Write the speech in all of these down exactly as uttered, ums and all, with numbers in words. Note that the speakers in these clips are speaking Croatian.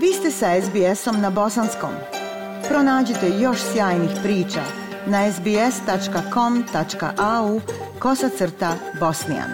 Vi ste sa es be esom na bosanskom. Pronađite još sjajnih priča na es be es tačka com tačka a u kosacrta bosnijan.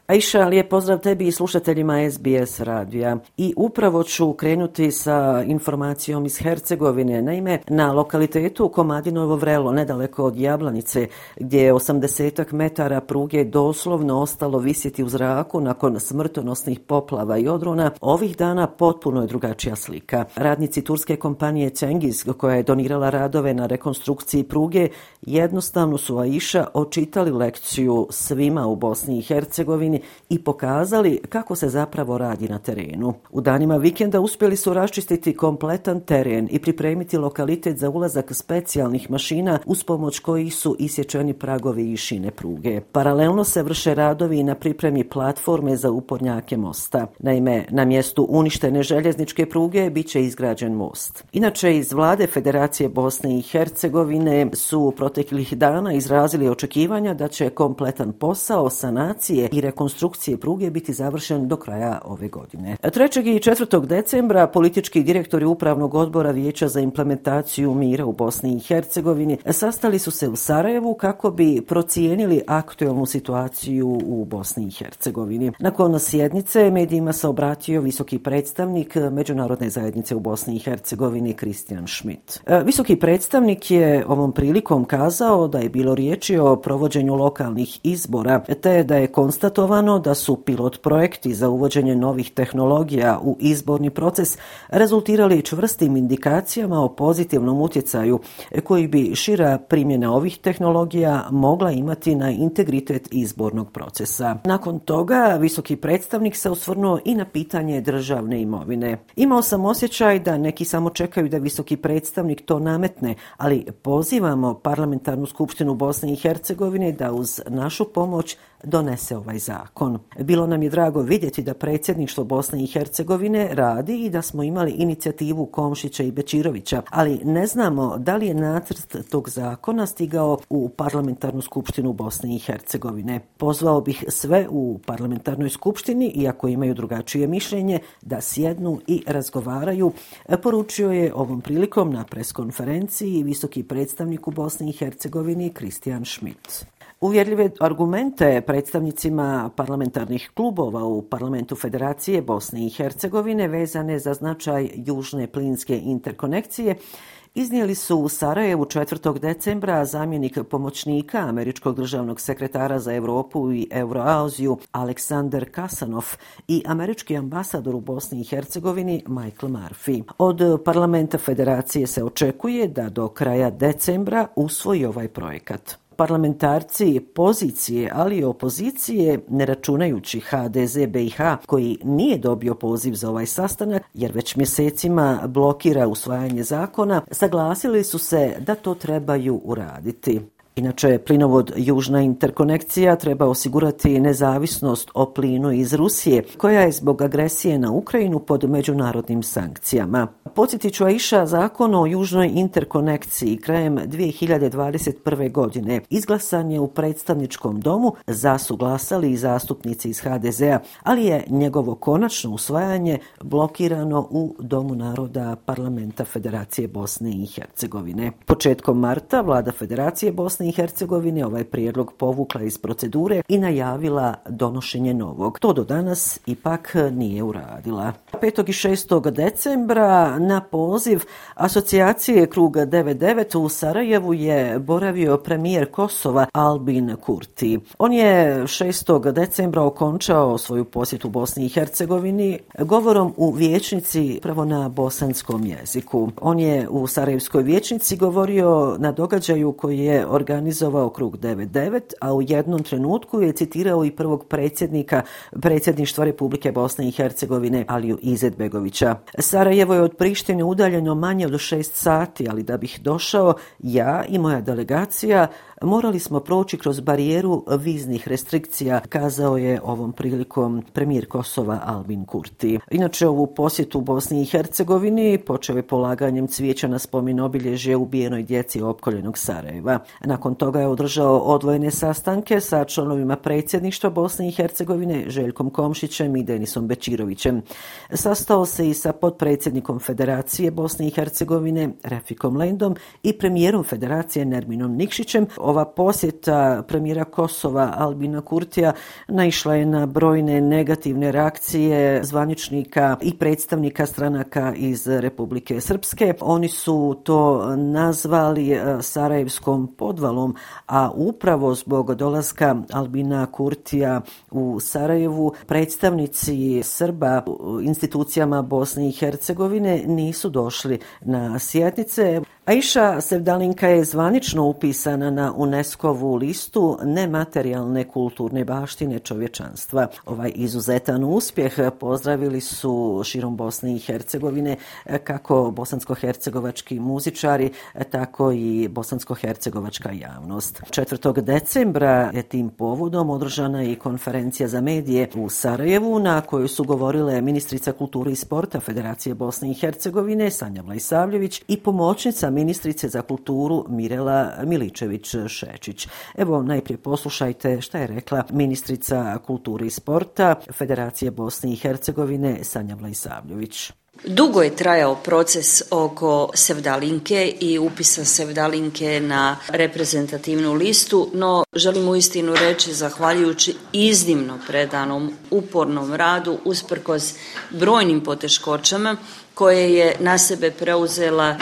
Aisha, lijep pozdrav tebi i slušateljima es be es radija. I upravo ću krenuti sa informacijom iz Hercegovine. Naime, na lokalitetu Komadinovo Vrelo, nedaleko od Jablanice, gdje je osamdesetak metara pruge doslovno ostalo visjeti u zraku nakon smrtonosnih poplava i odrona, ovih dana potpuno je drugačija slika. Radnici turske kompanije Cengiz, koja je donirala radove na rekonstrukciji pruge, jednostavno su Aisha očitali lekciju svima u Bosni i Hercegovini i pokazali kako se zapravo radi na terenu. U danima vikenda uspjeli su raščistiti kompletan teren i pripremiti lokalitet za ulazak specijalnih mašina uz pomoć kojih su isječeni pragovi i šine pruge. Paralelno se vrše radovi na pripremi platforme za upornjake mosta. Naime, na mjestu uništene željezničke pruge bit će izgrađen most. Inače, iz vlade Federacije Bosne i Hercegovine su proteklih dana izrazili očekivanja da će kompletan posao sanacije i rekonstrukcije konstrukcije pruge biti završen do kraja ove godine. trećeg i četvrtog decembra politički direktori Upravnog odbora Vijeća za implementaciju mira u Bosni i Hercegovini sastali su se u Sarajevu kako bi procijenili aktualnu situaciju u Bosni i Hercegovini. Nakon sjednice medijima se obratio visoki predstavnik Međunarodne zajednice u Bosni i Hercegovini Christian Schmidt. Visoki predstavnik je ovom prilikom kazao da je bilo riječi o provođenju lokalnih izbora, te da je konstatovano da su pilot projekti za uvođenje novih tehnologija u izborni proces rezultirali čvrstim indikacijama o pozitivnom utjecaju koji bi šira primjena ovih tehnologija mogla imati na integritet izbornog procesa. Nakon toga visoki predstavnik se osvrnuo i na pitanje državne imovine. Imao sam osjećaj da neki samo čekaju da visoki predstavnik to nametne, ali pozivamo Parlamentarnu skupštinu Bosne i Hercegovine da uz našu pomoć donese ovaj zakon. Bilo nam je drago vidjeti da predsjedništvo Bosne i Hercegovine radi i da smo imali inicijativu Komšića i Bečirovića, ali ne znamo da li je nacrt tog zakona stigao u Parlamentarnu skupštinu Bosne i Hercegovine. Pozvao bih sve u Parlamentarnoj skupštini, iako imaju drugačije mišljenje, da sjednu i razgovaraju, poručio je ovom prilikom na preskonferenciji visoki predstavnik u Bosni i Hercegovini Christian Schmidt. Uvjerljive argumente predstavnicima parlamentarnih klubova u Parlamentu Federacije Bosne i Hercegovine vezane za značaj južne plinske interkonekcije iznijeli su u Sarajevu četvrtog decembra zamjenik pomoćnika američkog državnog sekretara za Europu i Euroaziju Aleksandar Kasanov i američki ambasador u Bosni i Hercegovini Michael Murphy. Od Parlamenta Federacije se očekuje da do kraja decembra usvoji ovaj projekat. Parlamentarci pozicije, ali i opozicije, ne računajući ha de ze be i ha, koji nije dobio poziv za ovaj sastanak, jer već mjesecima blokira usvajanje zakona, saglasili su se da to trebaju uraditi. Inače, plinovod Južna interkonekcija treba osigurati nezavisnost o plinu iz Rusije, koja je zbog agresije na Ukrajinu pod međunarodnim sankcijama. Podsjetit ću, Aisha, zakon o Južnoj interkonekciji krajem dvije hiljade dvadeset prve. godine izglasan je u predstavničkom domu, za su glasali i zastupnici iz ha de zea, ali je njegovo konačno usvajanje blokirano u Domu naroda Parlamenta Federacije Bosne i Hercegovine. Početkom marta vlada Federacije Bosne i Hercegovine ovaj prijedlog povukla iz procedure i najavila donošenje novog. To do danas ipak nije uradila. petog i šestog decembra na poziv asocijacije Krug devedeset devet u Sarajevu je boravio premijer Kosova Albin Kurti. On je šestog decembra okončao svoju posjetu Bosni i Hercegovini govorom u vijećnici pravo na bosanskom jeziku. On je u Sarajevskoj vijećnici govorio na događaju koji je organizovao Krug devedeset devet, a u jednom trenutku je citirao i prvog predsjednika predsjedništva Republike Bosne i Hercegovine Aliju Izetbegovića. Sarajevo je od Prištine udaljeno manje od šest sati, ali da bih došao, ja i moja delegacija morali smo proći kroz barijeru viznih restrikcija, kazao je ovom prilikom premijer Kosova Albin Kurti. Inače, ovu posjetu Bosni i Hercegovini počeo je polaganjem cvijeća na spomen obilježje ubijenoj djeci opkoljenog Sarajeva. Nakon toga je održao odvojene sastanke sa članovima predsjedništva Bosne i Hercegovine Željkom Komšićem i Denisom Bečirovićem. Sastao se i sa potpredsjednikom Federacije Bosne i Hercegovine Refikom Lendom i premijerom Federacije Nerminom Nikšićem. Ova posjeta premijera Kosova Albina Kurtija naišla je na brojne negativne reakcije zvaničnika i predstavnika stranaka iz Republike Srpske. Oni su to nazvali sarajevskom podvalom, a upravo zbog dolaska Albina Kurtija u Sarajevu predstavnici Srba u institucijama Bosne i Hercegovine nisu došli na sjednice. Aisha Sevdalinka je zvanično upisana na UNESCO-vu listu nematerijalne kulturne baštine čovječanstva. Ovaj izuzetan uspjeh pozdravili su širom Bosne i Hercegovine kako bosansko-hercegovački muzičari, tako i bosansko-hercegovačka javnost. četvrtog decembra je tim povodom održana i konferencija za medije u Sarajevu na kojoj su govorile ministrica kulture i sporta Federacije Bosne i Hercegovine Sanja Vlajsavljević i pomoćnica ministrice za kulturu Mirela Miličević-Šečić. Evo, najprije poslušajte šta je rekla ministrica kulture i sporta Federacije Bosne i Hercegovine Sanja Vlajsavljević. Dugo je trajao proces oko Sevdalinke i upisa Sevdalinke na reprezentativnu listu, no želim uistinu reći, zahvaljujući iznimno predanom, upornom radu, usprkos brojnim poteškoćama koje je na sebe preuzela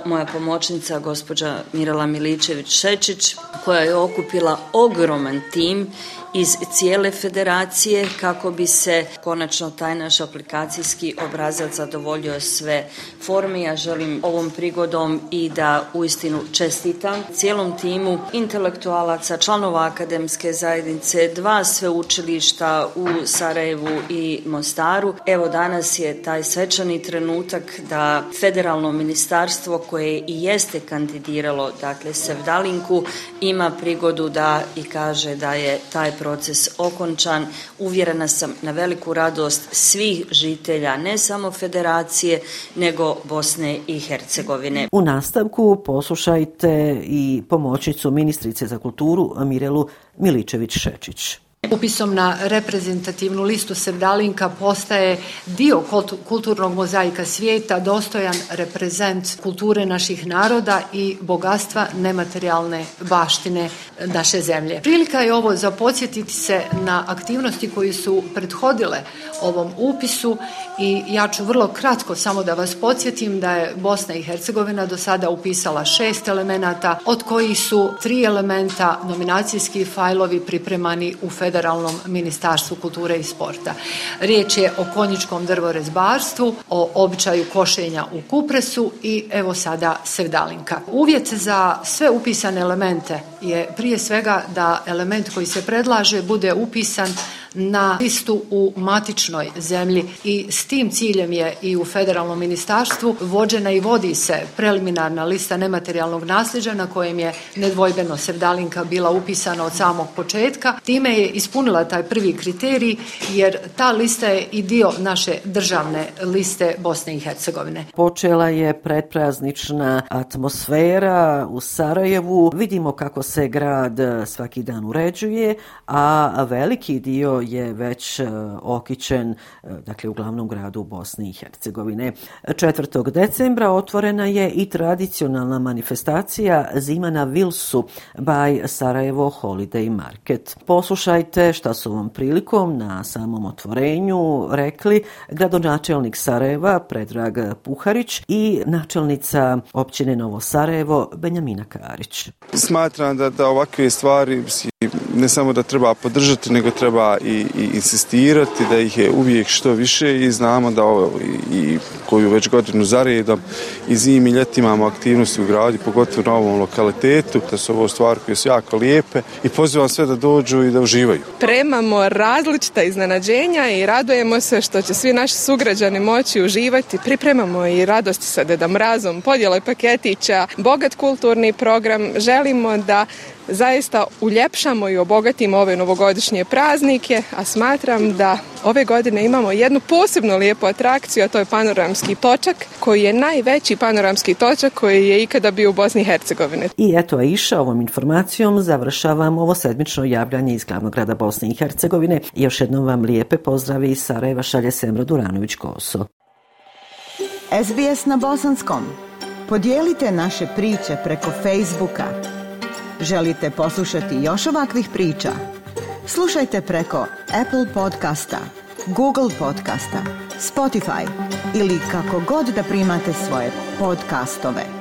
moja pomoćnica gospođa Mirela Miličević-Šečić, koja je okupila ogroman tim iz cijele federacije kako bi se konačno taj naš aplikacijski obrazac zadovoljio sve forme. Ja želim ovom prigodom i da uistinu čestitam cijelom timu intelektualaca, članova akademske zajednice, dva sveučilišta u Sarajevu i Mostaru. Evo, danas je taj svečani trenutak da federalno ministarstvo koje i jeste kandidiralo, dakle Sevdalinku, ima prigodu da i kaže da je taj proces okončan. Uvjerena sam na veliku radost svih žitelja, ne samo federacije, nego Bosne i Hercegovine. U nastavku poslušajte i pomoćnicu ministrice za kulturu Mirelu Miličević-Šečić. Upisom na reprezentativnu listu Sevdalinka postaje dio kulturnog mozaika svijeta, dostojan reprezent kulture naših naroda i bogatstva nematerijalne baštine naše zemlje. Prilika je ovo za podsjetiti se na aktivnosti koje su prethodile ovom upisu i ja ću vrlo kratko samo da vas podsjetim da je Bosna i Hercegovina do sada upisala šest elemenata, od kojih su tri elementa nominacijski fajlovi pripremani u Federalnom ministarstvu kulture i sporta. Riječ je o konjičkom drvorezbarstvu, o običaju košenja u kupresu i evo sada Sevdalinka. Uvjet za sve upisane elemente je prije svega da element koji se predlaže bude upisan na listu u matičnoj zemlji i s tim ciljem je i u Federalnom ministarstvu vođena i vodi se preliminarna lista nematerijalnog nasljeđa na kojem je nedvojbeno Sevdalinka bila upisana od samog početka. Time je ispunila taj prvi kriterij jer ta lista je i dio naše državne liste Bosne i Hercegovine. Počela je predpraznična atmosfera u Sarajevu. Vidimo kako se grad svaki dan uređuje, a veliki dio je već okićen, dakle u glavnom gradu Bosne i Hercegovine. četvrtog decembra otvorena je i tradicionalna manifestacija Zima na Vilsu by Sarajevo Holiday Market. Poslušajte šta su ovom prilikom na samom otvorenju rekli gradonačelnik Sarajeva Predrag Puharić i načelnica općine Novo Sarajevo Benjamina Karić. Smatram da, da ovakve stvari ne samo da treba podržati, nego treba i, i insistirati da ih je uvijek što više i znamo da ovo i, i koju već godinu za redom i zimi i ljeti imamo aktivnosti u gradu, pogotovo na ovom lokalitetu, da su ovo stvari koje su jako lijepe i pozivam sve da dođu i da uživaju. Premamo različita iznenađenja i radujemo se što će svi naši sugrađani moći uživati. Pripremamo i radosti sa Deda Mrazom, podjele paketića, bogat kulturni program. Želimo da zaista uljepšamo i obogatimo ove novogodišnje praznike, a smatram da ove godine imamo jednu posebno lijepu atrakciju, a to je panoramski točak, koji je najveći panoramski točak koji je ikada bio u Bosni i Hercegovini. I eto, Aisha, ovom informacijom završavam ovo sedmično javljanje iz glavnog grada Bosne i Hercegovine. Još jednom vam lijepe pozdravi iz Sarajeva šalje Semra Duranović-Koso. S B S na bosanskom. Podijelite naše priče preko Facebooka. Želite poslušati još ovakvih priča? Slušajte preko Apple podcasta, Google podcasta, Spotify ili kako god da primate svoje podcastove.